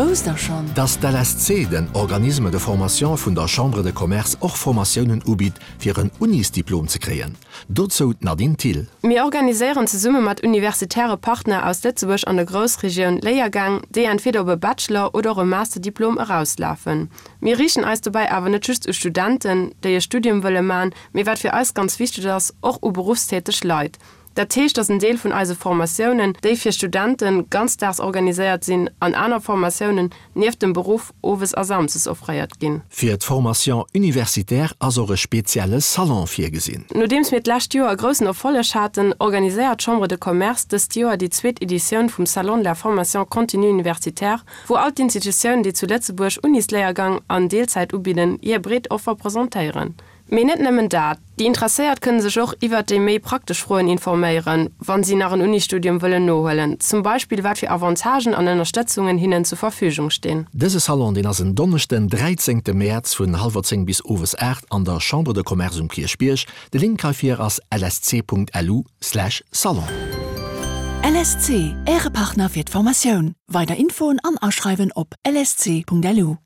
Wousst der schonn? Dass d'LSC, den Organisme de formation vun der Chambre de Commerce, och Formatiounen ubitt fir en Unisdiplom ze kréien? Dozou d'Nadine Thill. Mir organiséieren zesumme mat universitäre Partner aus Lëtzebuerg an der Groussregioun Léiergäng, déi entweder op e Bachelor oder och e Masterdiplom erauslafen. Mir riichten eis dobäi awer net just u Studenten, déi e Studium wëlle man, mee wat fir eis ganz wichteg ass, och u beruffstäteg Leit. Dat heescht, dass en Deel vun eise Formatiounen, déi fir Studenten ganzdaags organiséiert sinn, an aner Formatiounen nieft dem Beruff owes a samsdes offréiert ginn. Fir d'Formation universitaire ass och e spezielle Salon virgesinn. Nodeems mir d'lescht Joer e groussen Erfolleg haten, organiséiert d'Chambre de Commerce dëst Joer déi zweet Editioun vum Salon de la formation continue universitaire, wou all d'Institutiounen, déi zu Lëtzebuerg Unisléiergang an Deelzäit ubidden, hir breet Offer presentéieren. Mee net nëmmen dat, déi Interesséiert kënne sech och iwwert déi méi praktesch Froen informéieren, wann si nach en Unisstudium wëllen nohuelen, zum Beispill wat fir Avantagen an Ënnerstëtzungen hinnen zur Verfügung stinn. Dëse Salon, deen ass en Donneschden, 13 Mäerz vun hallwer 10 bis owes 8 an der Chambre de Commerce um Kierchbierg. De Link heifir ass lsc.lu/salon. LSC, Äre Partner fir d'Formatioun. Weider Infoen an Aschreiwen op lsc.lu.